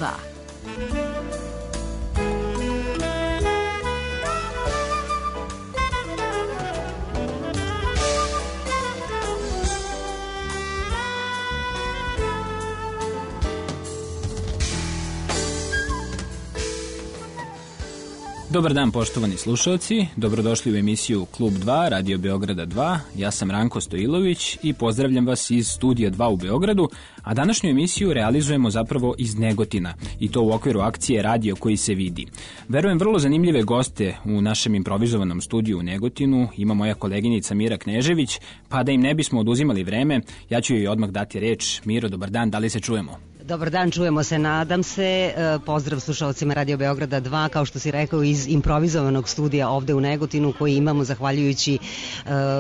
2. Dobar dan poštovani slušalci, dobrodošli u emisiju Klub 2, Radio Beograda 2. Ja sam Ranko Stojilović i pozdravljam vas iz Studija 2 u Beogradu, a današnju emisiju realizujemo zapravo iz Negotina i to u okviru akcije Radio koji se vidi. Verujem vrlo zanimljive goste u našem improvizovanom studiju u Negotinu ima moja koleginica Mira Knežević, pa da im ne bismo oduzimali vreme, ja ću joj odmah dati reč. Miro, dobar dan, da li se čujemo? Dobar dan, čujemo se, nadam se. Pozdrav slušalcima Radio Beograda 2, kao što si rekao, iz improvizovanog studija ovde u Negotinu koji imamo zahvaljujući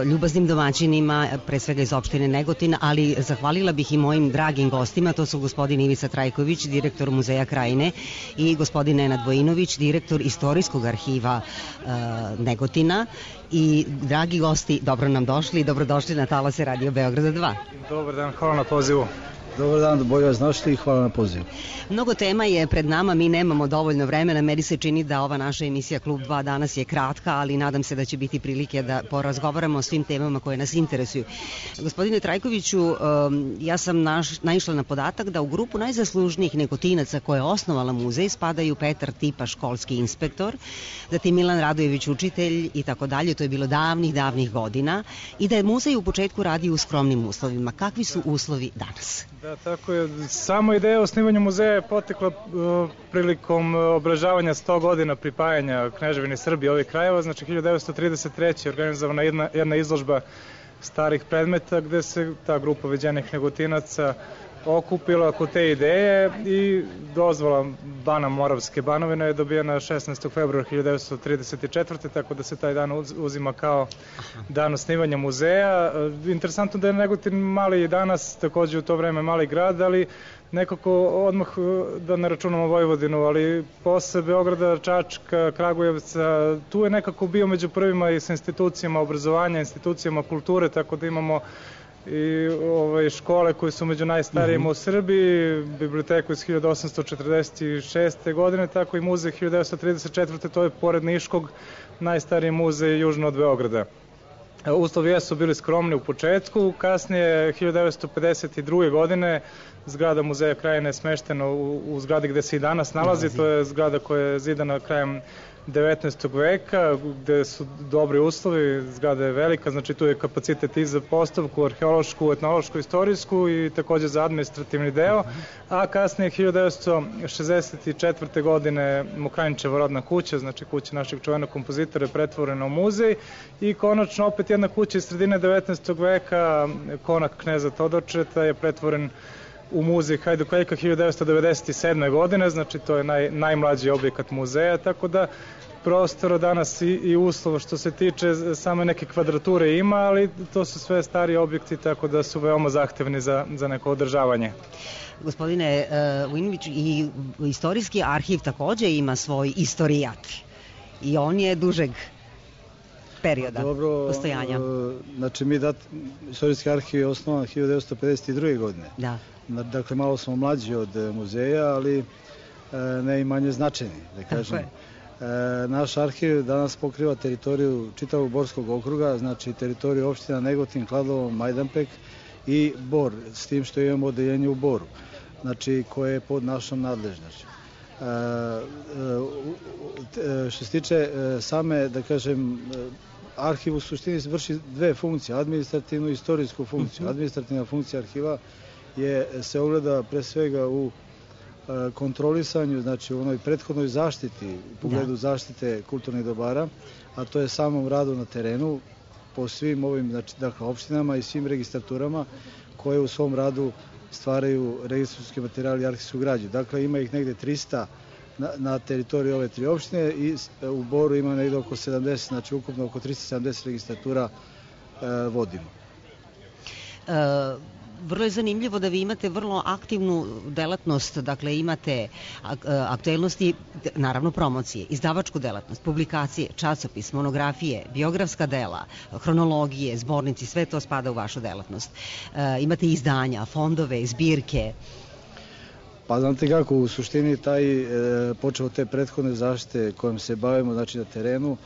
ljubaznim domaćinima, pre svega iz opštine Negotin, ali zahvalila bih i mojim dragim gostima, to su gospodin Ivica Trajković, direktor Muzeja Krajine, i gospodin Nenad Vojinović, direktor Istorijskog arhiva Negotina. I dragi gosti, dobro nam došli i dobrodošli na talase Radio Beograda 2. Dobar dan, hvala na pozivu. Dobar dan, bolje vas našli i hvala na pozivu. Mnogo tema je pred nama, mi nemamo dovoljno vremena, meni se čini da ova naša emisija Klub 2 danas je kratka, ali nadam se da će biti prilike da porazgovaramo o svim temama koje nas interesuju. Gospodine Trajkoviću, ja sam naišla na podatak da u grupu najzaslužnijih Negotinaca koje je osnovala muzej spadaju Petar Tipa, školski inspektor, zatim Milan Radojević, učitelj i tako dalje, to je bilo davnih godina, i da je muzej u početku radio u skromnim uslovima. Kakvi su uslovi danas? Da, tako je. Samo ideja o osnivanju muzeja je potekla prilikom obeležavanja 100 godina pripajanja Kneževine Srbije ovih krajeva, znači 1933. organizovana jedna izložba starih predmeta gde se ta grupa viđenih Negotinaca okupila oko te ideje i dozvola Bana Moravske Banovine je dobijena 16. februara 1934. tako da se taj dan uzima kao dan osnivanja muzeja. Interesantno da je Negotin mali i danas, takođe u to vreme mali grad, ali nekako odmah da ne računamo Vojvodinu, ali posle Beograda, Čačka, Kragujevca, tu je nekako bio među prvima i sa institucijama obrazovanja, institucijama kulture, tako da imamo i škole koje su među najstarijima u Srbiji, biblioteku iz 1846. godine, tako i muzej 1934. To je pored Niškog najstariji muzej južno od Beograda. Uslovi jesu bili skromni u početku, kasnije 1952. godine zgrada Muzeja Krajine je smeštena u zgradi gde se i danas nalazi, to je zgrada koja je zidana krajem 19. veka, gde su dobri uslovi, zgrada je velika, znači tu je kapacitet i za postavku, arheološku, etnološku, istorijsku i takođe za administrativni deo, a kasnije 1964. godine Mokranjčeva rodna kuća, znači kuća našeg čuvenog kompozitora je pretvorena u muzej i konačno opet jedna kuća iz sredine 19. veka, konak kneza Todorčeta je pretvoren u muzej Hajduk-Veljka 1997. godine, znači to je najmlađi objekat muzeja, tako da prostora danas i uslova što se tiče same neke kvadrature ima, ali to su sve stari objekti, tako da su veoma zahtevni za neko održavanje. Gospodine Vojinović, i istorijski arhiv takođe ima svoj istorijat i on je dužeg perioda postojanja. Znači istorijski arhiv je osnovan 1952. godine. Da. Dakle, malo smo mlađi od muzeja, ali ne i manje značajni, da kažem. Naš arhiv danas pokriva teritoriju čitavog Borskog okruga, znači teritoriju opština Negotin, Kladovo, Majdanpek i Bor, s tim što imamo odeljenje u Boru, znači koje je pod našom nadležnošću. Što se tiče same, da kažem, arhiv u suštini vrši dve funkcije, administrativnu i istorijsku funkciju. Administrativna funkcija arhiva se ogleda pre svega u kontrolisanju, znači u onoj prethodnoj zaštiti, u pogledu zaštite kulturnih dobara, a to je samom radu na terenu po svim ovim, znači, opštinama i svim registraturama koje u svom radu stvaraju registarski materijal i arhivsku građu. Dakle, ima ih negde 300 na teritoriji ove tri opštine i u Boru ima negde oko 70, znači ukupno oko 370 registratura vodimo. Vrlo je zanimljivo da vi imate vrlo aktivnu delatnost, dakle imate aktuelnosti, naravno promocije, izdavačku delatnost, publikacije, časopis, monografije, biografska dela, hronologije, zbornici, sve to spada u vašu delatnost. Imate izdanja, fondove, zbirke. Pa znate kako, u suštini počeo od te prethodne zaštite kojom se bavimo, znači na terenu,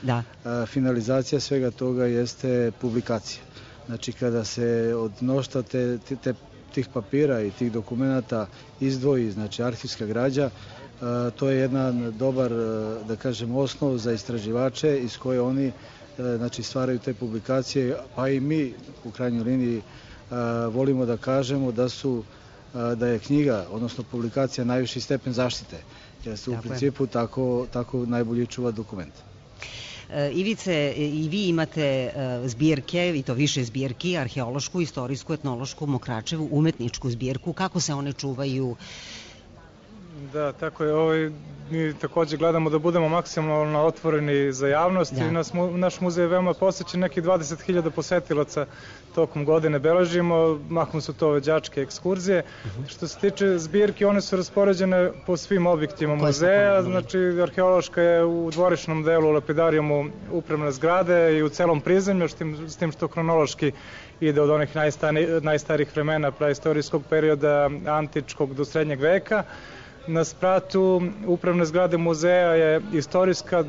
finalizacija svega toga jeste publikacija. Znači kada se od mnoštva tih papira i tih dokumenata izdvoji, znači arhivska građa, to je jedan dobar, da kažem, osnov za istraživače iz koje oni znači stvaraju te publikacije, pa i mi u krajnjoj liniji volimo da kažemo da je knjiga, odnosno publikacija, najviši stepen zaštite, jer se u principu tako najbolje čuva dokument. Ivice, i vi imate zbirke, i to više zbirki, arheološku, istorijsku, etnološku, Mokračevu, umetničku zbirku. Kako se one čuvaju? Da, tako je. Mi takođe gledamo da budemo maksimalno otvoreni za javnost i naš muzej je veoma posećen, nekih 20.000 posetilaca tokom godine beležimo, mahom su to đačke ekskurzije. Što se tiče zbirki, one su raspoređene po svim objektima muzeja, znači arheološka je u dvorišnom delu u lapidarijumu upravne zgrade i u celom prizemlju, s tim što kronološki ide od onih najstarijih vremena, praistorijskog perioda, antičkog do srednjeg veka. Na spratu upravne zgrade muzeja je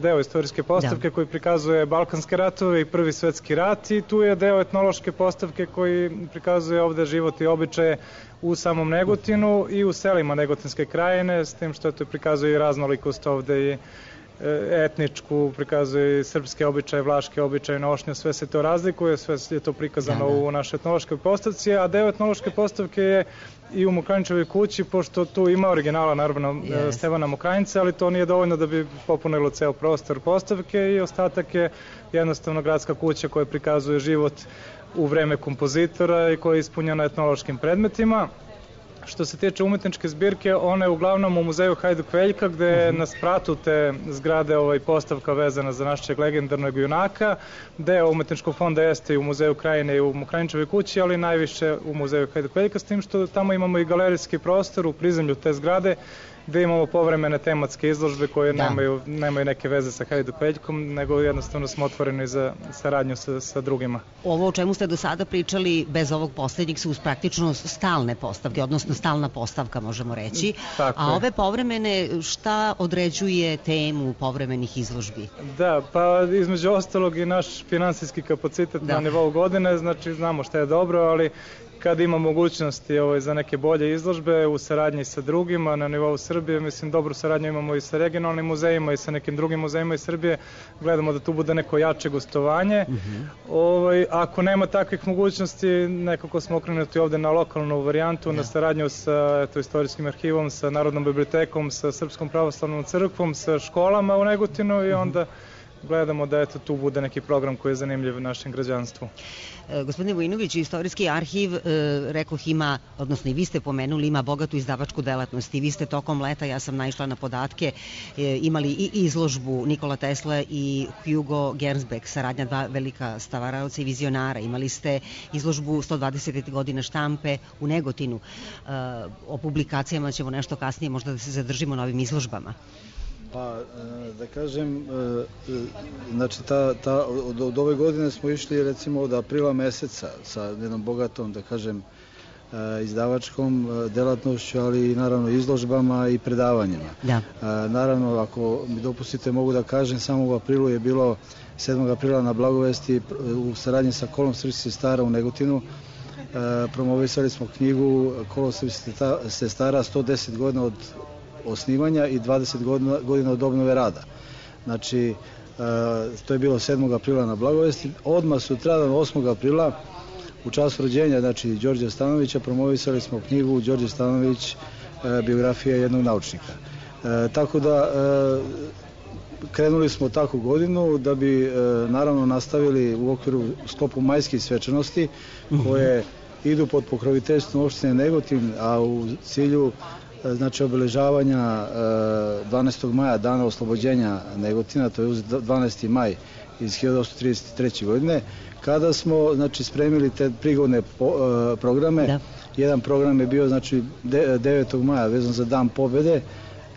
deo istorijske postavke koji prikazuje Balkanske ratove i Prvi svetski rat, i tu je deo etnološke postavke koji prikazuje ovde život i običaje u samom Negotinu i u selima Negotinske krajine, s tim što to prikazuje i raznolikost ovde i etničku, prikazuje i srpske običaje, vlaške običaje, nošnje, sve se to razlikuje, sve je to prikazano u našoj etnološkoj postavci, a deo etnološke postavke je i u Mokranjčevoj kući, pošto tu ima originala, naravno, Stevana Mokranjca, ali to nije dovoljno da bi popunilo ceo prostor postavke, i ostatak je jednostavno gradska kuća koja prikazuje život u vreme kompozitora i koja je ispunjena etnološkim predmetima. Što se tiče umetničke zbirke, ona je uglavnom u muzeju Hajduk Veljka, gde je na spratu te zgrade postavka vezana za našeg legendarnog junaka. Deo umetničkog fonda jeste i u muzeju Krajine i u Mokranjčevoj kući, ali najviše u muzeju Hajduk Veljka, s tim što tamo imamo i galerijski prostor u prizemlju te zgrade, gde imamo povremene tematske izložbe koje nemaju neke veze sa Hajduk Veljkom, nego jednostavno smo otvoreni za saradnju sa drugima. Ovo o čemu ste do sada pričali, bez ovog poslednjeg, su praktično stalne postavke, odnosno stalna postavka, možemo reći. A ove povremene, šta određuje temu povremenih izložbi? Da, pa između ostalog i naš finansijski kapacitet na nivou godine, znači znamo šta je dobro, ali kad ima mogućnosti za neke bolje izložbe u saradnji sa drugima na nivou Srbije, mislim, dobru saradnju imamo i sa regionalnim muzejima i sa nekim drugim muzejima iz Srbije, gledamo da tu bude neko jače gostovanje. Ako nema takvih mogućnosti, nekako smo okrenuti ovde na lokalnu varijantu, na saradnju sa istorijskim arhivom, sa Narodnom bibliotekom, sa Srpskom pravoslavnom crkvom, sa školama u Negotinu, i onda gledamo da tu bude neki program koji je zanimljiv našem građanstvu. Gospodine Vojinović, istorijski arhiv, rekoh, ima, odnosno i vi ste pomenuli, ima bogatu izdavačku delatnost, i vi ste tokom leta, ja sam naišla na podatke, imali i izložbu Nikola Tesla i Hugo Gernsback, saradnja dva velika stavaraoca i vizionara. Imali ste izložbu 120 godina štampe u Negotinu. O publikacijama ćemo nešto kasnije, možda da se zadržimo na ovim izložbama. Pa, da kažem, znači od ove godine smo išli recimo od aprila meseca sa jednom bogatom, da kažem, izdavačkom delatnošću, ali i naravno izložbama i predavanjima. Naravno, ako mi dopustite, mogu da kažem, samo u aprilu je bilo 7. aprila na Blagovesti u saradnji sa Kolom srpskih sestara u Negotinu. Promovisali smo knjigu Kolo srpskih sestara 110 godina od osnivanja i 20 godina od obnove rada. Znači, to je bilo 7. aprila na Blagovesti. Odmah sutradan, 8. aprila, u času rođenja, znači, Đorđa Stanovića, promovisali smo knjigu Đorđe Stanović, biografija jednog naučnika. Tako da, krenuli smo takvu godinu da bi, naravno, nastavili u okviru sklopu majskih svečanosti, koje idu pod pokroviteljstvom opštine Negotin, a u cilju, znači, obeležavanja 12. maja, dana oslobođenja Negotina, to je 12. maj iz 1833. godine, kada smo, znači, spremili te prigodne programe. Jedan program je bio, znači, 9. maja vezan za Dan pobede,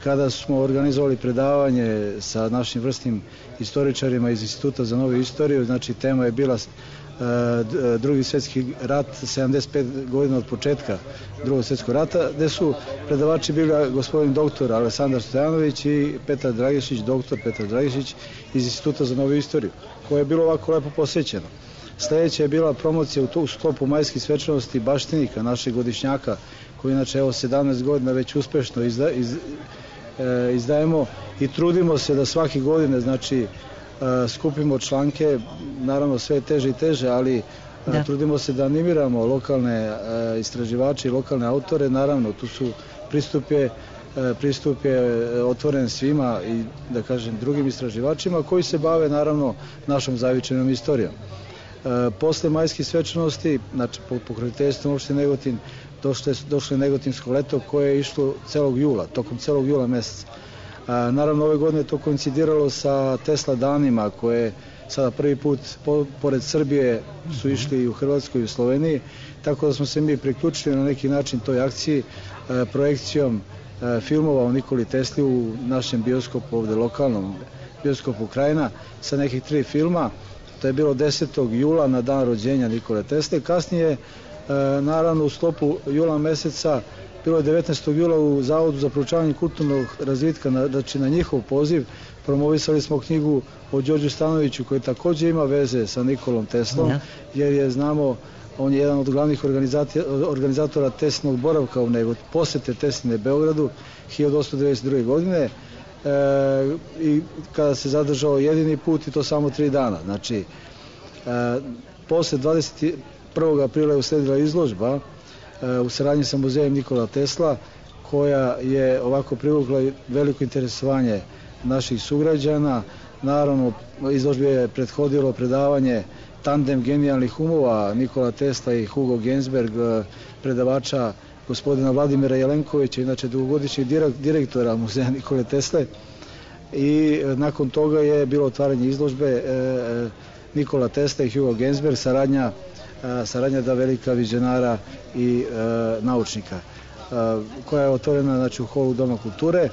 kada smo organizovali predavanje sa našim vrsnim istoričarima iz Instituta za novu istoriju. Znači, tema je bila Drugi svjetski rat, 75 godina od početka Drugog svjetskog rata, gde su predavači bili gospodin doktor Aleksandar Stojanović i Petar Dragišić, doktor Petar Dragišić iz Instituta za novu istoriju, koje je bilo ovako lepo posvećeno. Sljedeća je bila promocija u sklopu majskih svečanosti baštinika, našeg godišnjaka, koji inače 17 godina već uspešno izdajemo i trudimo se da svake godine, znači, skupimo članke, naravno sve teže i teže, ali trudimo se da animiramo lokalne istraživače i lokalne autore. Naravno, tu su pristup je otvoren svima i, da kažem, drugim istraživačima koji se bave, naravno, našom zavičajnom istorijom. Posle majskih svečanosti, znači pod pokroviteljstvom opštine Negotin, došlo je Negotinsko leto koje je išlo tokom celog jula meseca. Naravno, ove godine to koincidiralo sa Tesla danima koje sada prvi put pored Srbije su išli i u Hrvatskoj i u Sloveniji, tako da smo se mi priključili na neki način toj akciji projekcijom filmova o Nikoli Tesli u našem bioskopu, ovde lokalnom bioskopu Krajina, sa nekih 3 filma. To je bilo 10. jula na dan rođenja Nikole Tesle. Kasnije, naravno, u sklopu jula meseca, bilo je 19. jula u Zavodu za proučavanje kulturnog razvitka, znači na njihov poziv, promovisali smo knjigu o Đorđu Stanoviću, koji takođe ima veze sa Nikolom Teslom, jer je, znamo, on je jedan od glavnih organizatora Teslinog boravka u Negotinu, posete Tesline Beogradu 1892. godine, i kada se zadržao jedini put, i to samo 3 dana. Znači, posle 21. aprila je usledila izložba u saradnji sa muzejem Nikola Tesla, koja je ovako privukla veliko interesovanje naših sugrađana. Naravno, izložbi je prethodilo predavanje Tandem genijalnih umova Nikola Tesla i Hugo Gensberg, predavača gospodina Vladimira Jelenkovića, inače dugogodišnjeg direktora muzeja Nikole Tesle, i nakon toga je bilo otvaranje izložbe Nikola Tesla i Hugo Gensberg, saradnja da velika vizionara i naučnika, koja je otvorena, znači, u holu Doma kulture.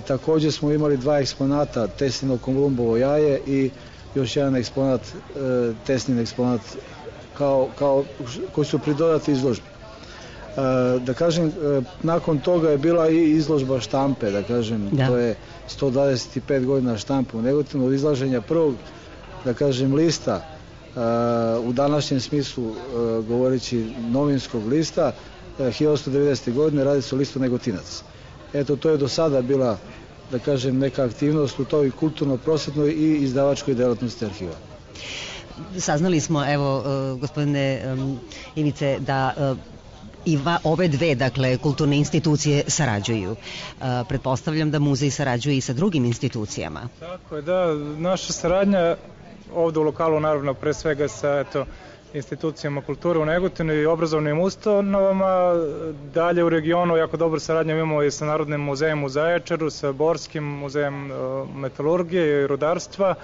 Takođe smo imali 2 eksponata, Teslino Kolumbovo jaje i još jedan eksponat, Teslin eksponat, koji su pridodati izložbi. Da kažem, nakon toga je bila i izložba štampe, da kažem, to je 125 godina štampe u Negotinu, od izlaženja prvog, da kažem, lista, u današnjem smislu govoreći novinskog lista, 1890. godine, radi se o listu Negotinac. Eto, to je do sada bila, da kažem, neka aktivnost u toj kulturno-prosvetnoj i izdavačkoj delatnosti arhiva. Saznali smo, evo, gospodine Ivice, da i ove dve, dakle, kulturne institucije sarađuju. Pretpostavljam da muzej sarađuje i sa drugim institucijama. Tako je, da. Naša saradnja ovde u lokalu, naravno, pre svega sa institucijama kulture u Negotinu i obrazovnim ustanovama. Dalje u regionu jako dobro saradnju imamo i sa Narodnim muzejom u Zaječaru, sa Borskim muzejem metalurgije i rudarstva,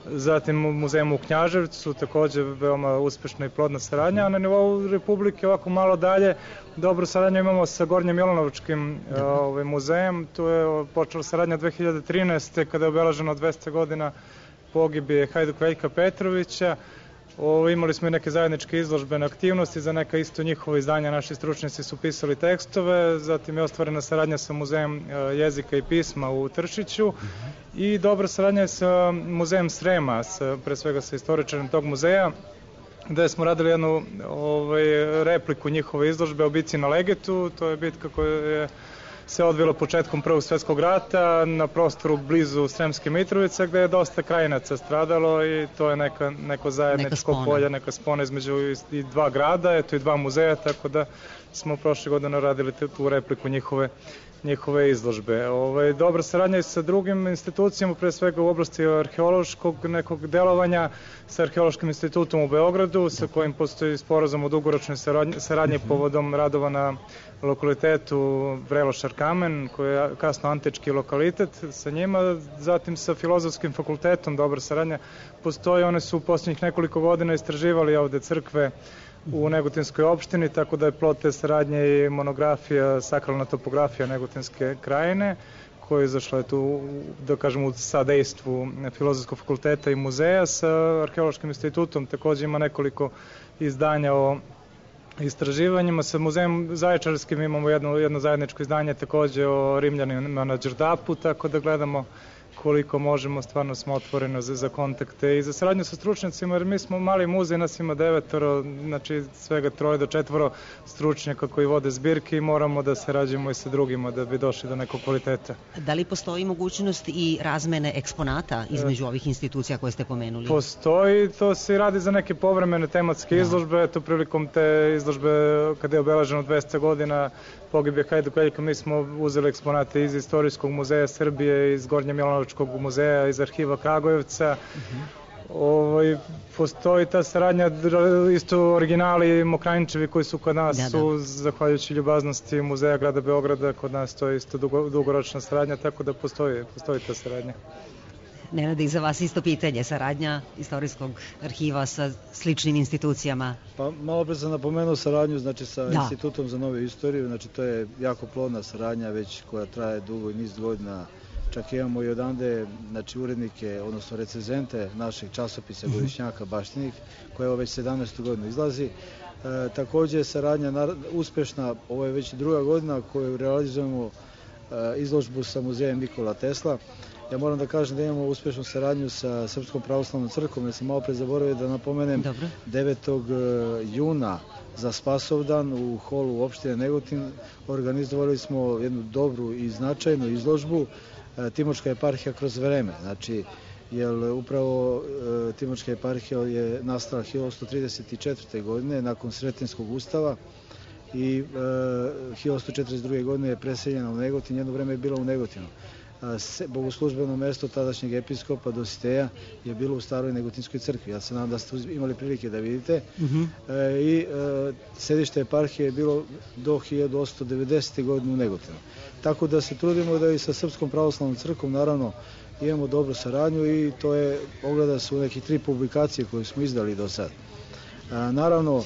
zatim muzejem u Knjaževcu, takođe veoma uspešna i plodna saradnja, a na nivou Republike ovako malo dalje dobro saradnju imamo sa Gornjem Milanovačkim muzejem. Tu je počela saradnja 2013. kada je obeleženo 200 godina pogibije Hajduk Veljka Petrovića. Imali smo i neke zajedničke izložbene aktivnosti, za neka isto njihova izdanja naši stručnjaci su pisali tekstove, zatim je ostvarena saradnja sa Muzejem jezika i pisma u Tršiću i dobra saradnja je sa Muzejem Srema, pre svega sa istoričarem tog muzeja, gde smo radili jednu repliku njihove izložbe o bitci na Legetu. To je bitka koja se odvila početkom Prvog svjetskog rata na prostoru blizu Sremske Mitrovice, gde je dosta krajinaca stradalo i to je neko zajedničko polje, neka spona između i 2 grada, eto i 2 muzeja, tako da smo prošle godine radili tu repliku njihove izložbe. Dobra saradnja je sa drugim institucijama, pre svega u oblasti arheološkog nekog delovanja, sa Arheološkim institutom u Beogradu, sa kojim postoji sporazum o dugoročnoj saradnji povodom radova na lokalitetu Vrelošar kamen, koji je kasno antički lokalitet, sa njima, zatim sa Filozofskim fakultetom dobra saradnja postoji. One su u posljednjih nekoliko godina istraživali ovde crkve u Negotinskoj opštini, tako da je plod te saradnje i monografija Sakralna topografija Negotinske krajine, koja je izašla tu, da kažem, u sadejstvu Filozofskog fakulteta i muzeja sa Arheološkim institutom. Takođe ima nekoliko izdanja o istraživanjima. Sa muzejem Zaječarskim imamo jedno zajedničko izdanje takođe o Rimljanima na Đerdapu, tako da gledamo koliko možemo, stvarno smo otvoreni za kontakte i za saradnju sa stručnjacima, jer mi smo mali muzej, nas ima 9, znači svega 3 do 4 stručnjaka koji vode zbirke i moramo da sarađujemo i sa drugima da bi došli do nekog kvaliteta. Da li postoji mogućnost i razmene eksponata između ovih institucija koje ste pomenuli? Postoji, to se radi za neke povremene tematske izložbe, eto prilikom te izložbe kada je obeleženo 200 godina pogibije Hajduk Veljka, mi smo uzeli eksponate iz Istorijskog muzeja Srbije, iz Gornje Milanovačkog muzeja, iz arhiva Kragujevca. Postoji ta saradnja, isto originali Mokranjčevi koji su kod nas, su zahvaljujući ljubaznosti Muzeja grada Beograda, kod nas to je isto dugoročna saradnja, tako da postoji ta saradnja. Nenade, i za vas isto pitanje, saradnja Istorijskog arhiva sa sličnim institucijama? Pa malo pre sam napomenuo saradnju, znači sa Institutom za novu istoriju, znači to je jako plodna saradnja već koja traje dugo i niz godina. Čak imamo i odande, znači urednike, odnosno recenzente našeg časopisa Godišnjaka Baštinik, koja je već 17. godinu izlazi. Takođe je saradnja uspešna, ovo je već 2. godina koju realizujemo izložbu sa muzejem Nikola Tesla. Ja moram da kažem da imamo uspešnu saradnju sa Srpskom pravoslavnom crkvom, jer sam malo pre zaboravio da napomenem 9. juna za Spasovdan u holu opštine Negotin organizovali smo jednu dobru i značajnu izložbu Timočka eparhija kroz vreme. Znači, jer upravo Timočka eparhija je nastala 1134. godine nakon Sretenskog ustava i 1142. godine je preseljena u Negotin, jedno vreme je bila u Negotinu. Bogoslužbeno mesto tadašnjeg episkopa Dositeja je bilo u staroj Negotinskoj crkvi. Ja se nadam da ste imali prilike da vidite. I sedište eparhije je bilo do 1890. godine u Negotinu. Tako da se trudimo da i sa Srpskom pravoslavnom crkvom naravno imamo dobru saradnju i to je, ogleda se u nekih 3 publikacije koje smo izdali do sad. Naravno,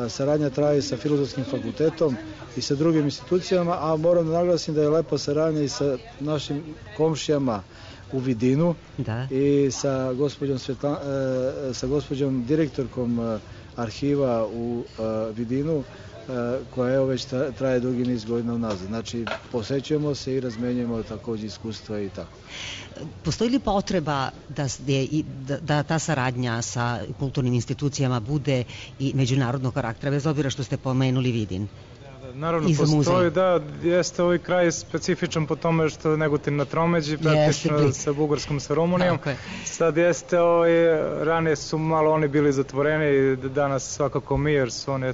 saradnja traje sa Filozofskim fakultetom i sa drugim institucijama, a moram da naglasim da je lepa saradnja i sa našim komšijama u Vidinu i sa gospođom direktorkom arhiva u Vidinu, koja evo već traje dugi niz godina unazad. Znači, posećujemo se i razmenjujemo takođe iskustva i tako. Postoji li potreba da ta saradnja sa kulturnim institucijama bude i međunarodnog karaktera, bez obzira što ste pomenuli Vidin? Naravno, postoji, jeste ovaj kraj specifičan po tome što je Negotin na tromeđi, praktično sa Bugarskom, sa Rumunijom. Sad jeste, ranije su malo oni bili zatvoreni, danas svakako mi, jer su oni,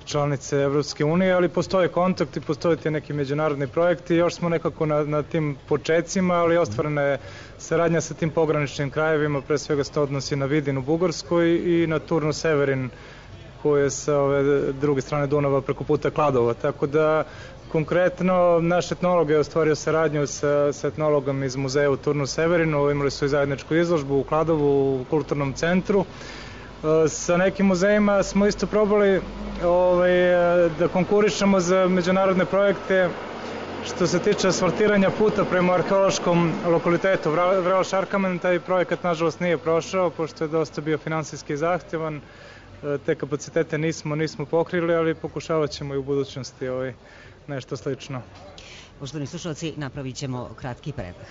članice Evropske unije, ali postoje kontakti, postoje ti neki međunarodni projekti, još smo nekako na tim počecima, ali ostvarena je saradnja sa tim pograničnim krajevima, pre svega se to odnosi na Vidin u Bugarskoj i na Turnu Severin, koje je sa ove druge strane Dunava preko puta Kladova, tako da konkretno naš etnolog je ostvario saradnju sa etnologom iz muzeja u Turnu Severinu, imali su i zajedničku izložbu u Kladovu u kulturnom centru. Sa nekim muzejima smo isto probali da konkurišemo za međunarodne projekte što se tiče asfaltiranja puta prema arheološkom lokalitetu Vrelo Šarkamen. Taj projekat nažalost nije prošao, pošto je dosta bio finansijski zahtevan. Te kapacitete nismo pokrili, ali pokušavat ćemo i u budućnosti nešto slično. Poštovani slušalci, napravit ćemo kratki predah.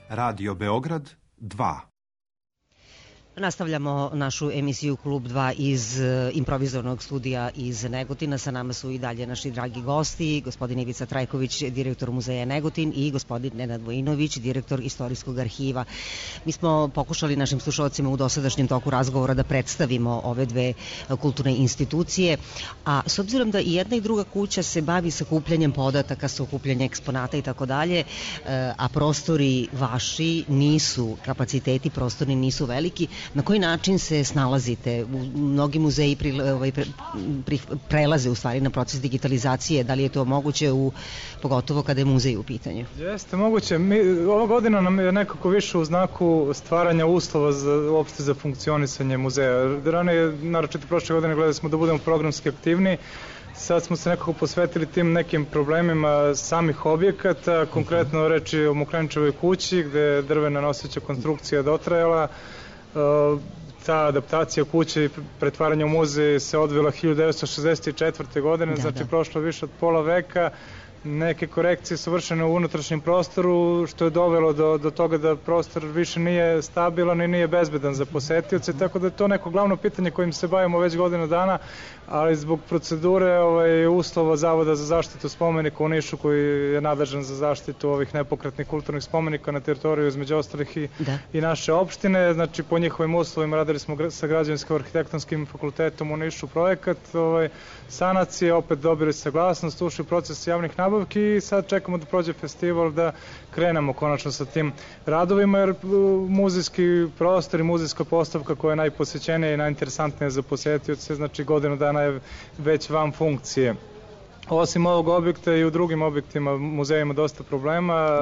Radio Beograd 2. Nastavljamo našu emisiju Klub 2 iz improvizornog studija iz Negotina. Sa nama su i dalje naši dragi gosti, gospodin Ivica Trajković, direktor Muzeja Negotin, i gospodin Nenad Vojinović, direktor Istorijskog arhiva. Mi smo pokušali našim slušalcima u dosadašnjem toku razgovora da predstavimo ove dve kulturne institucije, a s obzirom da i jedna i druga kuća se bavi sakupljanjem podataka, sakupljanjem eksponata i tako dalje, a prostori vaši nisu, kapaciteti prostorni nisu veliki, na koji način se snalazite? Mnogi muzeji prelaze u stvari na proces digitalizacije. Da li je to moguće, pogotovo kada je muzej u pitanju? Jeste moguće. Ova godina nam je nekako više u znaku stvaranja uslova uopšte za funkcionisanje muzeja. Ranije, naročito prošle godine, gledali smo da budemo programski aktivni. Sad smo se nekako posvetili tim nekim problemima samih objekata, konkretno reči o Mokranjčevoj kući, gde je drvena noseća konstrukcija dotrajala. Ta adaptacija kuće i pretvaranje u muzej se odvila 1964. godine, znači prošlo više od pola veka. Neke korekcije su vršene u unutrašnjem prostoru, što je dovelo do toga da prostor više nije stabilan i nije bezbedan za posetioce, tako da je to neko glavno pitanje kojim se bavimo već godinu dana, ali zbog procedure uslova Zavoda za zaštitu spomenika u Nišu, koji je nadležan za zaštitu ovih nepokretnih kulturnih spomenika na teritoriju između ostalih i naše opštine, znači po njihovim uslovima radili smo sa Građevinsko-arhitektonskim fakultetom u Nišu projekat sanacije, opet dobili saglasnost, ušli u proces javnih nabavki i sad čekamo da prođe festival, da krenemo konačno sa tim radovima, jer muzejski prostor i muzejska postavka koja je najposećenija i najinteresantnija za posetioce, znači godinu dana je već van funkcije. Osim ovog objekta i u drugim objektima muzeja ima dosta problema.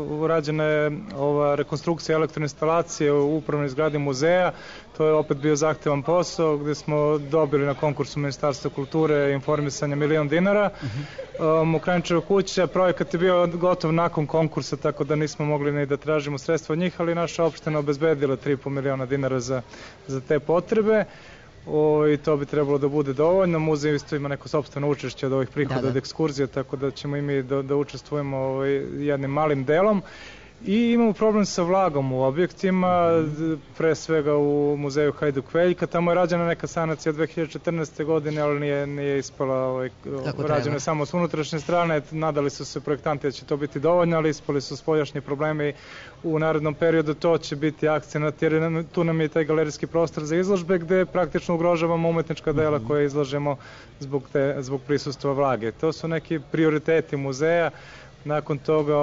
Urađena je ova rekonstrukcija elektroinstalacije u upravnoj zgradi muzeja. To je opet bio zahtevan posao gde smo dobili na konkursu Ministarstva kulture i informisanja 1 milion dinara. Mokranjčeva kuća, projekat je bio gotov nakon konkursa, tako da nismo mogli ni da tražimo sredstva od njih, ali naša opština obezbedila 3,5 miliona dinara za te potrebe. I to bi trebalo da bude dovoljno. Muzej isto ima neko sopstveno učešće od ovih prihoda od ekskurzija, tako da ćemo i mi da učestvujemo jednim malim delom. I imamo problem sa vlagom u objektima, pre svega u muzeju Hajduk Veljka. Tamo je rađena neka sanacija 2014. godine, ali nije ispala, rađena je samo s unutrašnje strane. Nadali su se projektanti da će to biti dovoljno, ali ispali su spoljašnji problemi i u narednom periodu to će biti akcenat, jer tu nam je taj galerijski prostor za izložbe gde praktično ugrožavamo umetnička dela koje izlažemo zbog prisustva vlage. To su neki prioriteti muzeja. Nakon toga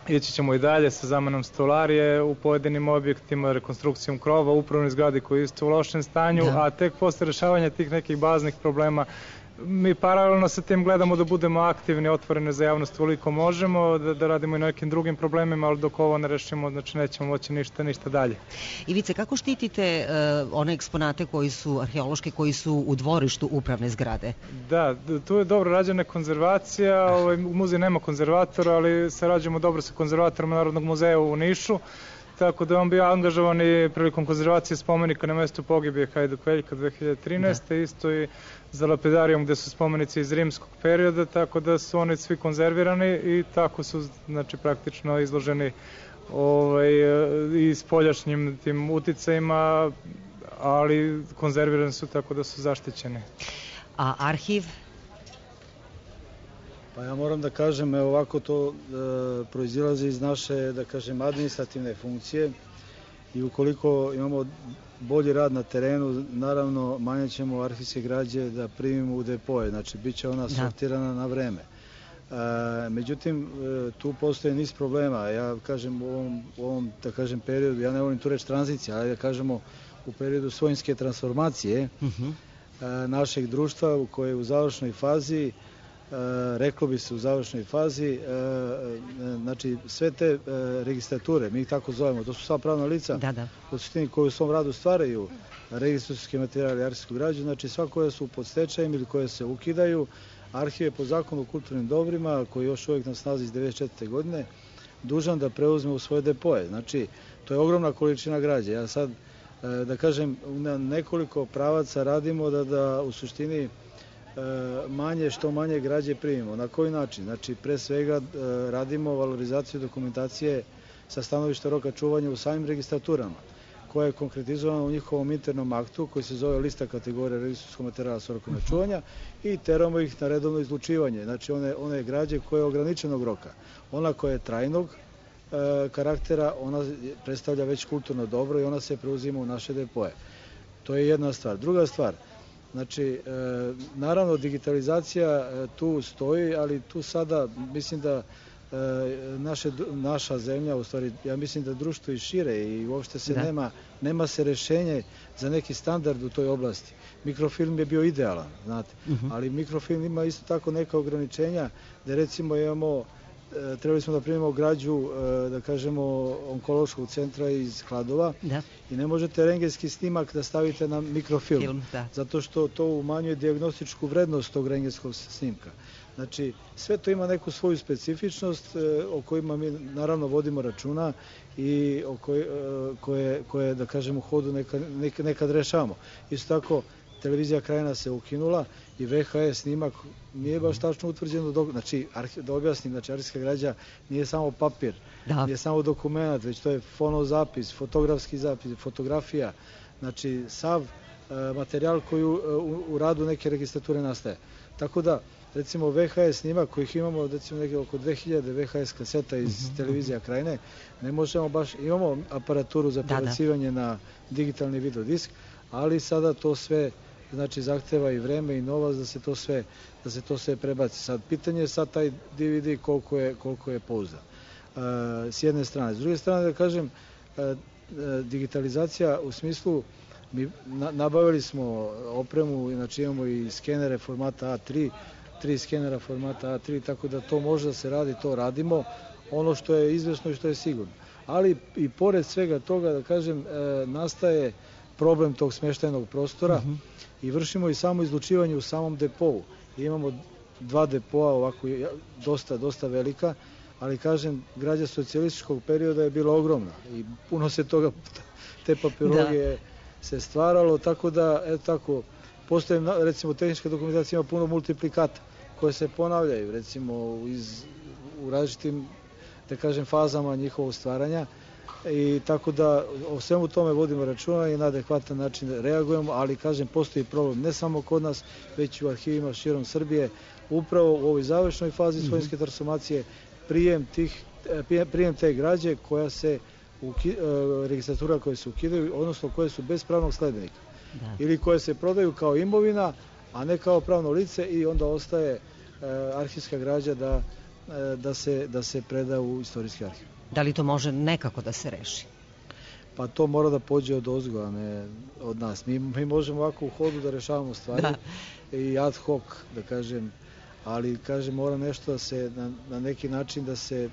ići ćemo i dalje sa zamenom stolarije u pojedinim objektima, rekonstrukcijom krova, upravnoj zgradi koji je isto u lošem stanju, a tek posle rešavanja tih nekih baznih problema mi paralelno sa tim gledamo da budemo aktivni, otvoreni za javnost koliko možemo, da radimo i na nekim drugim problemima, ali dok ovo ne rešimo, znači nećemo moći ništa dalje. Ivice, kako štitite one eksponate koji su arheološke, koji su u dvorištu upravne zgrade? Da, tu je dobro rađena konzervacija, muzej nema konzervatora, ali sarađujemo dobro sa konzervatorom Narodnog muzeja u Nišu, tako da on bio angažovan i prilikom konzervacije spomenika na mestu pogibije Hajduk Veljka 2013. Isto i za lapidarijom gde su spomenici iz rimskog perioda, tako da su oni svi konzervirani i tako su, znači, praktično izloženi i spoljašnjim tim uticajima, ali konzervirani su tako da su zaštićeni. A arhiv? Pa ja moram da kažem, ovako to proizilazi iz naše, da kažem, administrativne funkcije i ukoliko imamo bolji rad na terenu, naravno manje ćemo arhivske građe da primimo u depoje, znači bit će ona sortirana na vreme. Međutim, tu postoje niz problema. Ja kažem u ovom da kažem periodu, ja ne volim tu reći tranzicija, ali da kažemo u periodu svojinske transformacije našeg društva u koje je u završnoj fazi, reklo bi se u završnoj fazi, znači sve te registrature, mi ih tako zovemo, to su sva pravna lica u suštini koji u svom radu stvaraju registratorski materijal i arhivsku građu, znači sva koja su pod stečajem ili koje se ukidaju. Arhiv je po zakonu o kulturnim dobrima, koji još uvijek na snazi iz 1994. godine, dužan da preuzme u svoje depoje. Znači, to je ogromna količina građe. Ja sad, da kažem, na nekoliko pravaca radimo da u suštini što manje građe primimo. Na koji način? Znači, pre svega radimo valorizaciju dokumentacije sa stanovišta roka čuvanja u samim registraturama, koja je konkretizovana u njihovom internom aktu koji se zove lista kategorija registarskog materijala sa rokom čuvanja i teramo ih na redovno izlučivanje. Znači one građe koje je ograničenog roka. Ona koja je trajnog karaktera, ona predstavlja već kulturno dobro i ona se preuzima u naše depoje. To je jedna stvar. Druga stvar, znači, naravno digitalizacija tu stoji, ali tu sada mislim da naša zemlja, u stvari, ja mislim da društvo i šire i uopšte se nema se rešenje za neki standard u toj oblasti. Mikrofilm je bio idealan, znate, ali mikrofilm ima isto tako neka ograničenja, da recimo trebali smo da primimo građu, da kažemo, onkološkog centra iz Kladova i ne možete rentgenski snimak da stavite na mikrofilm, zato što to umanjuje dijagnostičku vrednost tog rentgenskog snimka. Znači, sve to ima neku svoju specifičnost o kojima mi naravno vodimo računa i koje da kažemo, u hodu nekad rešavamo. Isto tako, televizija Krajina se ukinula i VHS snimak nije baš tačno utvrđeno, znači, da objasnim, znači, arhivska građa nije samo papir, nije samo dokument, već to je fonozapis, fotografski zapis, fotografija, znači, sav materijal koji u radu neke registrature nastaje. Tako da, recimo VHS snimak kojih imamo recimo neke oko 2000 VHS kaseta iz televizija Krajine, ne možemo baš, imamo aparaturu za prebacivanje na digitalni videodisk, ali sada to sve znači zahteva i vreme i novac da se to sve prebaci. Sad pitanje je sad taj DVD koliko je pouzdan. S jedne strane. S druge strane da kažem, digitalizacija u smislu, mi nabavili smo opremu, znači imamo i skenere formata A3, 3 skenera formata A3, tako da to može da se radi, to radimo, ono što je izvesno i što je sigurno. Ali i pored svega toga, da kažem, nastaje problem tog smeštajnog prostora i vršimo i samo izlučivanje u samom depovu. Imamo 2 depoa, ovako dosta velika, ali kažem, građa socijalističkog perioda je bila ogromna i puno se toga, te papirologije se stvaralo, tako da, postoje, recimo, tehnička dokumentacija ima puno multiplikata koje se ponavljaju, recimo, u različitim, da kažem, fazama njihovog stvaranja i tako da o svemu tome vodimo računa i na adekvatan način reagujemo, ali, kažem, postoji problem ne samo kod nas, već i u arhivima širom Srbije, upravo u ovoj završnoj fazi svojinske transformacije, prijem te građe koja se registratura koje se ukidaju, odnosno koje su bez pravnog sledbenika ili koje se prodaju kao imovina, a ne kao pravno lice i onda ostaje arhivska građa da se preda u istorijski arhiv. Da li to može nekako da se reši? Pa to mora da pođe od ozgo, a ne od nas. Mi možemo ovako u hodu da rešavamo stvari i ad hoc, da kažem, ali, kažem, mora nešto da se na neki način da se...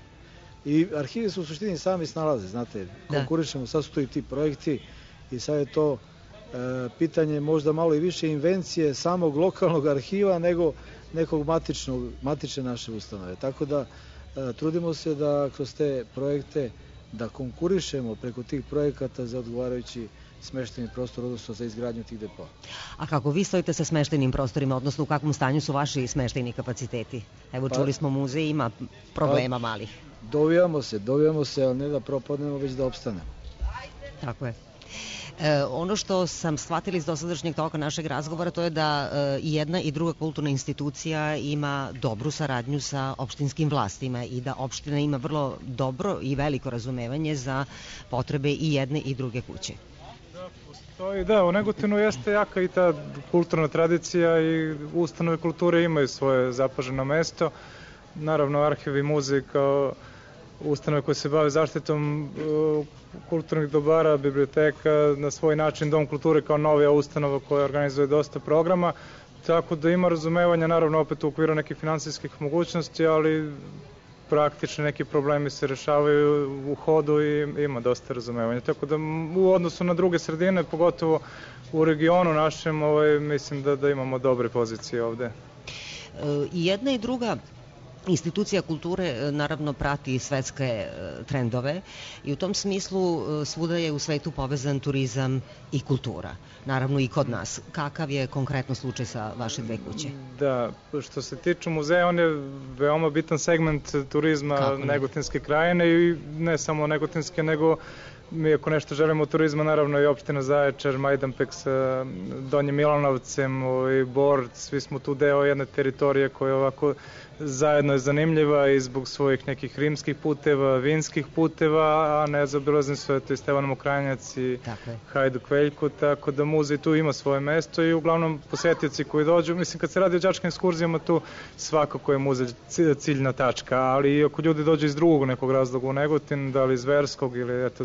I arhivi su u suštini sami snalaze, znate, konkurišemo, sad su to i ti projekti i sad je to pitanje možda malo i više invencije samog lokalnog arhiva nego nekog matične naše ustanove. Tako da trudimo se da kroz te projekte da konkurišemo preko tih projekata za odgovarajući smeštajni prostor, odnosno za izgradnju tih depoa. A kako vi stojite sa smeštajnim prostorima, odnosno u kakvom stanju su vaši smeštajni kapaciteti? Evo, čuli smo, muzej ima problema malih. Dovijamo se, ali ne da propadnemo, već da opstanemo. Tako je. Ono što sam shvatila iz dosadašnjeg toka našeg razgovora, to je da i jedna i druga kulturna institucija ima dobru saradnju sa opštinskim vlastima i da opština ima vrlo dobro i veliko razumevanje za potrebe i jedne i druge kuće. Da, u Negotinu jeste jaka i ta kulturna tradicija i ustanove kulture imaju svoje zapaženo mesto. Naravno, arhiv i muzej kao ustanove koje se bave zaštitom kulturnih dobara, biblioteka, na svoj način Dom kulture kao novija ustanova koja organizuje dosta programa, tako da ima razumevanja, naravno opet u okviru nekih finansijskih mogućnosti, ali praktično neki problemi se rešavaju u hodu i ima dosta razumevanja. Tako da u odnosu na druge sredine, pogotovo u regionu našem, mislim da imamo dobre pozicije ovde. I jedna i druga institucija kulture naravno prati svetske trendove i u tom smislu svuda je u svetu povezan turizam i kultura. Naravno i kod nas. Kakav je konkretno slučaj sa vaše dve kuće? Da, što se tiče muzeja, on je veoma bitan segment turizma Negotinske krajine i ne samo Negotinske, nego mi ako nešto želimo turizma, naravno i opština Zaječar, Majdanpek sa Donjim Milanovcem, Bor, svi smo tu deo jedne teritorije koja ovako zajedno je zanimljiva i zbog svojih nekih rimskih puteva, vinskih puteva, a nezaobilazni su eto i Stevan Mokranjac i Hajduk Veljko, tako da muzej tu ima svoje mesto i uglavnom posetioci koji dođu, mislim kad se radi o đačkim ekskurzijama tu svakako je muzej ciljna tačka, ali i ako ljudi dođu iz drugog nekog razloga u Negotin, da li iz verskog ili eto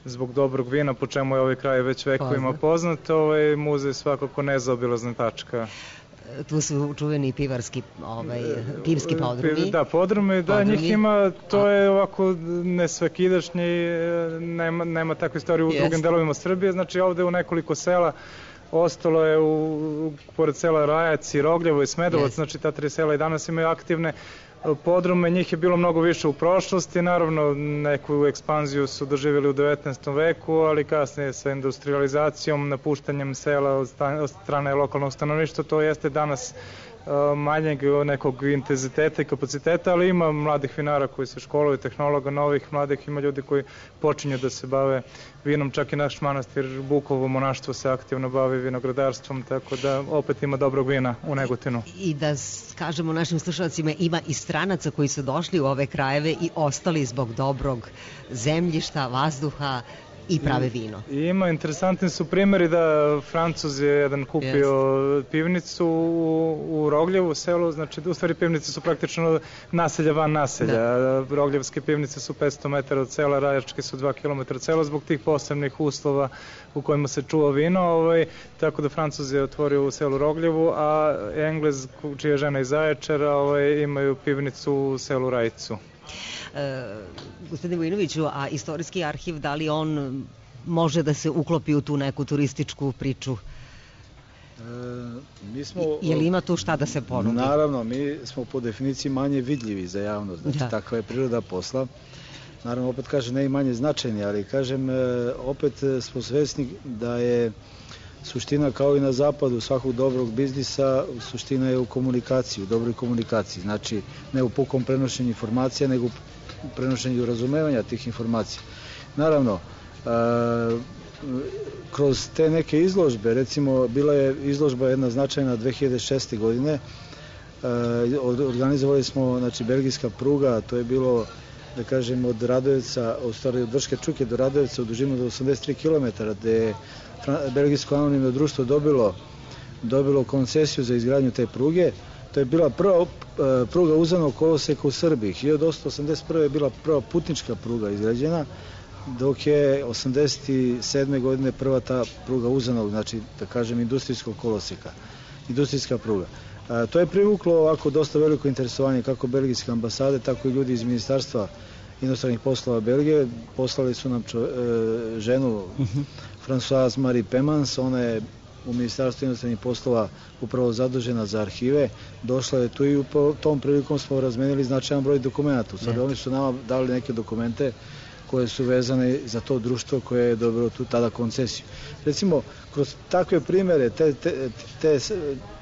zbog dobrog vina, po čemu je ovaj kraj već vekovima poznat, muzej svakako nezaobilazna tačka. Tu su čuveni pivarski, pivski podrumi. Da, podrumi, da, njih ima, to je ovako nesvakidašnji, nema takve istorije u drugim delovima Srbije, znači ovde u nekoliko sela ostalo je, pored sela Rajac i Rogljevo i Smedovac, znači ta tri sela i danas imaju aktivne podrume, njih je bilo mnogo više u prošlosti, naravno neku ekspanziju su doživjeli u 19. veku, ali kasnije sa industrializacijom, napuštanjem sela od strane lokalnog stanovništva, to jeste danas manjeg nekog intenziteta i kapaciteta, ali ima mladih vinara koji se školuju, tehnologa novih, mladih, ima ljudi koji počinju da se bave vinom, čak i naš manastir Bukovo monaštvo se aktivno bavi vinogradarstvom, tako da opet ima dobrog vina u Negotinu. I da kažemo našim slušalcima, ima i stranaca koji su došli u ove krajeve i ostali zbog dobrog zemljišta, vazduha i prave vino. Ima, interesantni su primjeri da Francuz je jedan kupio pivnicu u Rogljevu selu, znači u stvari pivnice su praktično naselja van naselja. Rogljevske pivnice su 500 metara od sela, Rajačke su 2 km od sela zbog tih posebnih uslova u kojima se čuva vino, tako da Francuz je otvorio u selu Rogljevu, a Englez, čija je žena iz Zaječara, imaju pivnicu u selu Rajcu. Gospodine Vojinoviću, a istorijski arhiv, da li on može da se uklopi u tu neku turističku priču? Je li ima tu šta da se ponudi? Naravno, mi smo po definiciji manje vidljivi za javnost, znači takva je priroda posla. Naravno, opet kažem, ne i manje značajni, ali kažem, opet smo svesni da je suština kao i na zapadu svakog dobrog biznisa, suština je u komunikaciji, u dobroj komunikaciji, znači ne u pukom prenošenju informacija, nego u prenošenju razumevanja tih informacija. Naravno, kroz te neke izložbe, recimo bila je izložba jedna značajna 2006. godine, organizovali smo, znači, belgijska pruga, to je bilo, da kažem, od Radojevca, od Drške Čuke do Radojevca u dužinu do 83 km, gde je belgijsko anonimno društvo dobilo koncesiju za izgradnju te pruge. To je bila prva pruga uzanog koloseka u Srbiji. 1881. je bila prva putnička pruga izgrađena, dok je 87. godine prva ta pruga uzanog, znači, da kažem, industrijskog koloseka, industrijska pruga. To je privuklo ovako dosta veliko interesovanje kako belgijske ambasade, tako i ljudi iz Ministarstva inostranih poslova Belgije. Poslali su nam ženu Françoise Marie Pemans, ona je u Ministarstvu inostranih poslova upravo zadužena za arhive. Došla je tu i u tom prilikom smo razmenili značajan broj dokumenta. Sada oni su nama dali neke dokumente koje su vezane za to društvo koje je dobilo tu tada koncesiju. Recimo, kroz takve primere,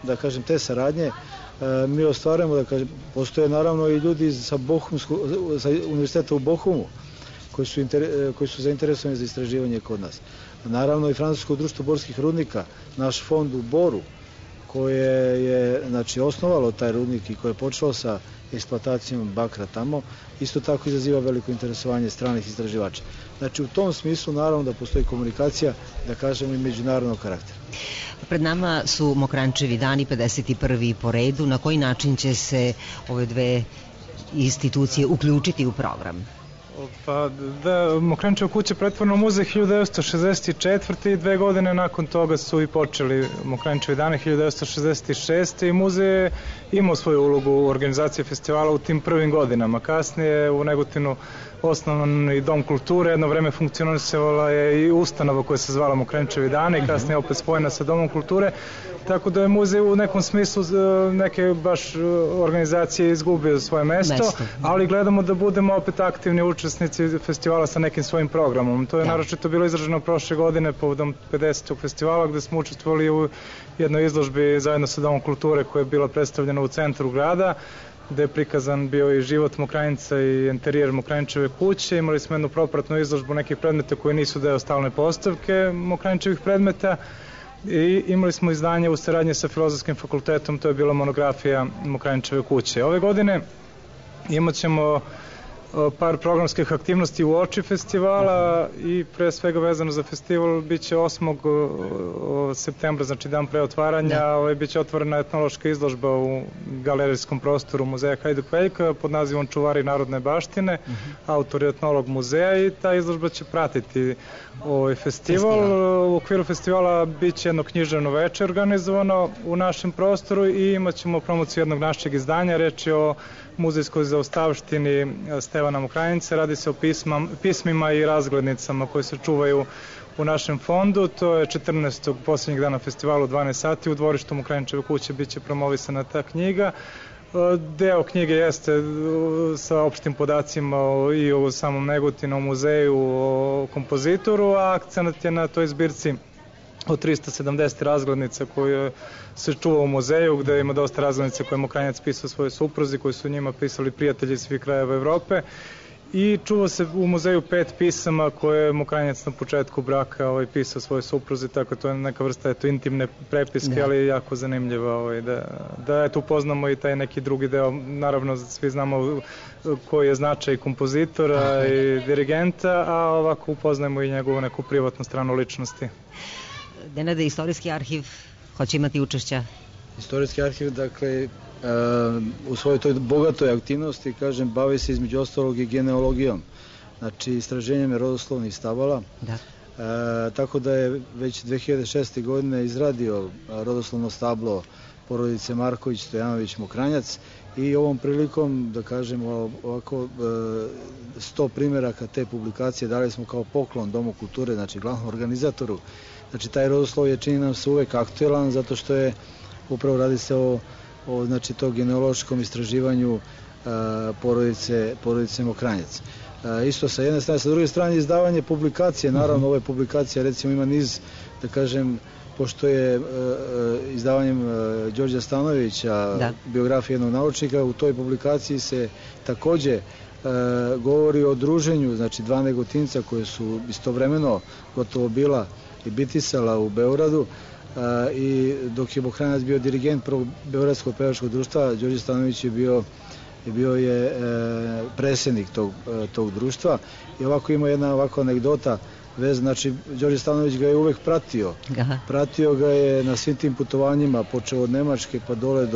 da kažem, te saradnje, mi ostvarujemo, da kažem, postoje naravno i ljudi sa univerziteta u Bohumu koji su zainteresovani za istraživanje kod nas. Naravno i Francusko društvo borskih rudnika, naš fond u Boru, koje je znači, osnovalo taj rudnik i koje je počelo sa eksploatacijom bakra tamo, isto tako izaziva veliko interesovanje stranih istraživača. Znači u tom smislu naravno da postoji komunikacija, da kažemo i međunarodnog karaktera. Pred nama su Mokranjčevi dani, 51. po redu. Na koji način će se ove dve institucije uključiti u program? Pa da, Mokranjčeva kuća pretvorena u muzej 1964. i 2 godine nakon toga su i počeli Mokranjčevi dani 1966. i muzej je imao svoju ulogu u organizaciji festivala u tim prvim godinama. Kasnije u Negotinu osnovan i Dom kulture, jedno vreme funkcionisala je i ustanova koja se zvala Mokranjčevi dani, kasnije opet spojena sa Domom kulture, tako da je muzej u nekom smislu neke baš organizacije izgubio svoje mesto, ali gledamo da budemo opet aktivni učesnici festivala sa nekim svojim programom. To je naročito bilo izraženo prošle godine povodom 50. festivala gde smo učestvovali u jednoj izložbi zajedno sa Domom kulture koja je bila predstavljena u centru grada, gde je prikazan bio i život Mokranjca i interijer Mokranjčeve kuće. Imali smo jednu propratnu izložbu nekih predmeta koji nisu deo stalne postavke Mokranjčevih predmeta i imali smo izdanje u saradnji sa Filozofskim fakultetom, to je bila monografija Mokranjčeve kuće. Ove godine imat ćemo par programskih aktivnosti u oči festivala i pre svega vezano za festival biće 8. septembra, znači dan pre otvaranja, biće otvorena etnološka izložba u galerijskom prostoru muzeja Hajduk Veljka pod nazivom Čuvari narodne baštine, autor je etnolog muzeja i ta izložba će pratiti ovaj festival. U okviru festivala biće jedno književno veče organizovano u našem prostoru i imat ćemo promociju jednog našeg izdanja, reč je o muzejskoj zaostavštini Stevana Mokranjca. Radi se o pismima i razglednicama koje se čuvaju u našem fondu. To je 14. posljednjeg dana festivala u 12 sati. U dvorištu Mokranjčeve kuće biće promovisana ta knjiga. Deo knjige jeste sa opštim podacima i o samom Negotinu, o muzeju, o kompozitoru, a akcenat je na toj zbirci od 370 razglednica koje se čuva u muzeju, gde ima dosta razglednica koje je Mokranjac pisao svoje supruzi, koji su njima pisali prijatelji svih krajeva Evrope. I čuva se u muzeju 5 pisama koje je Mokranjac na početku braka pisao svoje supruzi, tako to je neka vrsta intimne prepiske, ali je jako zanimljiva da upoznamo i taj neki drugi deo. Naravno, svi znamo koji je značaj kompozitora i dirigenta, a ovako upoznajemo i njegovu neku privatnu stranu ličnosti. Nenade, istorijski arhiv hoće imati učešća? Istorijski arhiv, dakle, u svojoj toj bogatoj aktivnosti, kažem, bavi se između ostalog i genealogijom, znači istraženjem rodoslovnih stabala. Tako da je već 2006. godine izradio rodoslovno stablo porodice Marković, Stojanović, Mokranjac i ovom prilikom, da kažemo ovako, 100 primjeraka te publikacije dali smo kao poklon Domu kulture, znači glavnom organizatoru. Znači taj rodoslov je, čini nam se, uvek aktuelan zato što je upravo radi se o znači tog genealoškom istraživanju porodice Mokranjac. Isto sa jedne strane, sa druge strane izdavanje publikacije, naravno ove publikacije recimo ima niz, da kažem, pošto je izdavanjem Đorđa Stanojevića biografije jednog naučnika, u toj publikaciji se takođe govori o druženju, znači 2 Negotinca koje su istovremeno gotovo bila i bitisala u Beogradu, i dok je Mokranjac bio dirigent prvog Beogradskog pevačkog društva, Đorđe Stanojević je bio predsjednik tog društva. I ovako ima jedna ovako anegdota vez, znači Đorđe Stanojević ga je uvek pratio ga je na svim tim putovanjima, počeo od Nemačke pa dole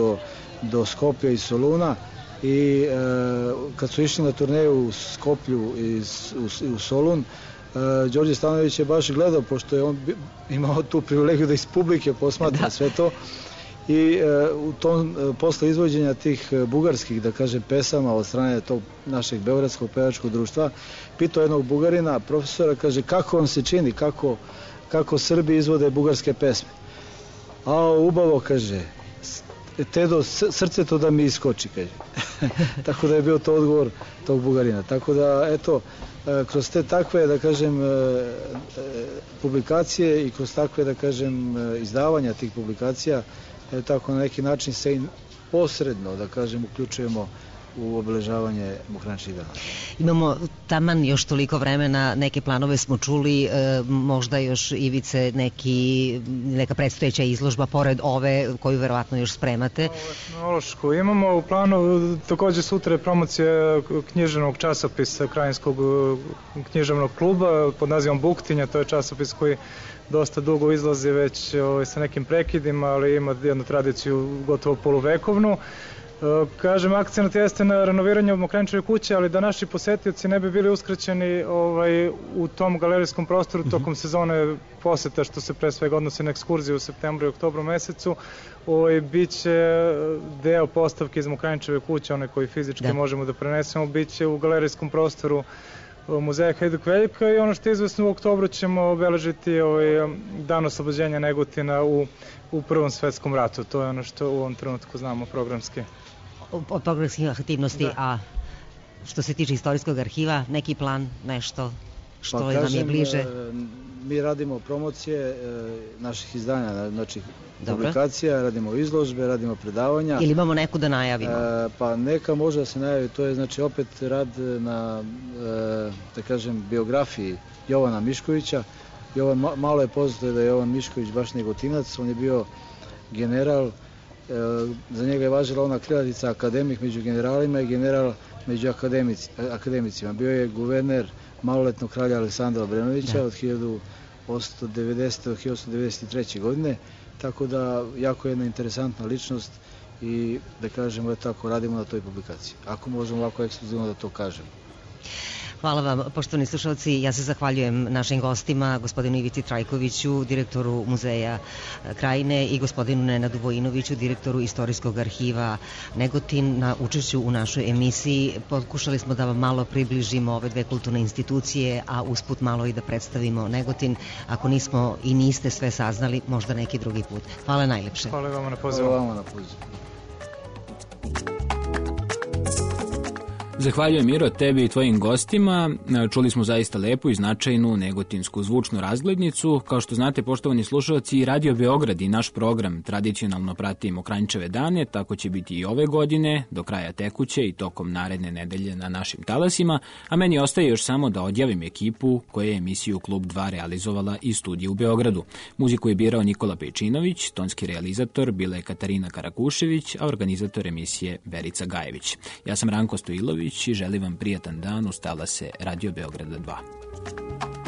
do Skoplja i Soluna, i kad su išli na turneju u Skoplju i u Solun, Đorđe Stanojević je baš gledao, pošto je on imao tu privilegiju da iz publike posmatra sve to, i u tom posle izvođenja tih bugarskih, da kažem, pesama od strane tog našeg Beogradskog pevačkog društva, pitao jednog Bugarina, profesora, kaže, kako vam se čini, kako Srbi izvode bugarske pesme? A ubavo, kaže, Tedo, srce to da mi iskoči, kaže. Tako da je bio to odgovor tog Bugarina. Tako da, eto, kroz te takve, da kažem, publikacije i kroz takve, da kažem, izdavanja tih publikacija, tako na neki način se posredno, da kažem, uključujemo u obeležavanje Mokranjčevih dana. Imamo taman još toliko vremena, neke planove smo čuli, možda još Ivice neka predstojeća izložba pored ove koju verovatno još spremate. Etnološku imamo u planu, takođe sutra je promocija književnog časopisa Krajinskog književnog kluba pod nazivom Buktinja, to je časopis koji dosta dugo izlazi već sa nekim prekidima, ali ima jednu tradiciju gotovo poluvekovnu. Kažem, akcent jeste na renoviranju Mokranjčeve kuće, ali da naši posetioci ne bi bili uskraćeni u tom galerijskom prostoru tokom sezone poseta, što se pre svega odnosi na ekskurziju u septembru i oktobru mesecu, biće deo postavke iz Mokranjčeve kuće, one koji fizički možemo da prenesemo, biće u galerijskom prostoru muzeja Hajduk Veljka i ono što je izvesno u oktobru ćemo obeležiti dan oslobođenja Negotina u Prvom svetskom ratu. To je ono što u ovom trenutku znamo programski. Od programskih aktivnosti, a što se tiče istorijskog arhiva, neki plan, nešto što nam je bliže? Mi radimo promocije naših izdanja, znači publikacija, radimo izložbe, radimo predavanja. Ili imamo neku da najavimo? Pa neka može da se najavi, to je znači opet rad na, da kažem, biografiji Jovana Miškovića. Malo je poznato da je Jovan Mišković baš Negotinac, on je bio general, za njega je važila ona krilatica akademik među generalima i general među akademicima. Bio je guverner maloletnog kralja Aleksandra Obrenovića od 1890. do 1893. godine, tako da jako je jedna interesantna ličnost i da kažemo tako radimo na toj publikaciji. Ako možemo ovako ekskluzivno da to kažemo. Hvala vam, poštovani slušalci. Ja se zahvaljujem našim gostima, gospodinu Ivici Trajkoviću, direktoru Muzeja Krajine i gospodinu Nenadu Vojinoviću, direktoru Istorijskog arhiva Negotin, na učešću u našoj emisiji. Pokušali smo da vam malo približimo ove dve kulturne institucije, a usput malo i da predstavimo Negotin. Ako nismo i niste sve saznali, možda neki drugi put. Hvala najlepše. Hvala vam na pozivu. Zahvaljujem, Miro, tebi i tvojim gostima. Čuli smo zaista lepu i značajnu negotinsku zvučnu razglednicu. Kao što znate, poštovani slušalci, Radio Beograd i naš program tradicionalno prati Mokranjčeve dane, tako će biti i ove godine, do kraja tekuće i tokom naredne nedelje na našim talasima, a meni ostaje još samo da odjavim ekipu koja je emisiju Klub 2 realizovala iz studija u Beogradu. Muziku je birao Nikola Pejčinović, tonski realizator bila je Katarina Karakušević, a organizator emisije Verica Gajević. Ja sam Ranko Stojilović i želim vam prijatan dan uz talase Radio Beograda 2.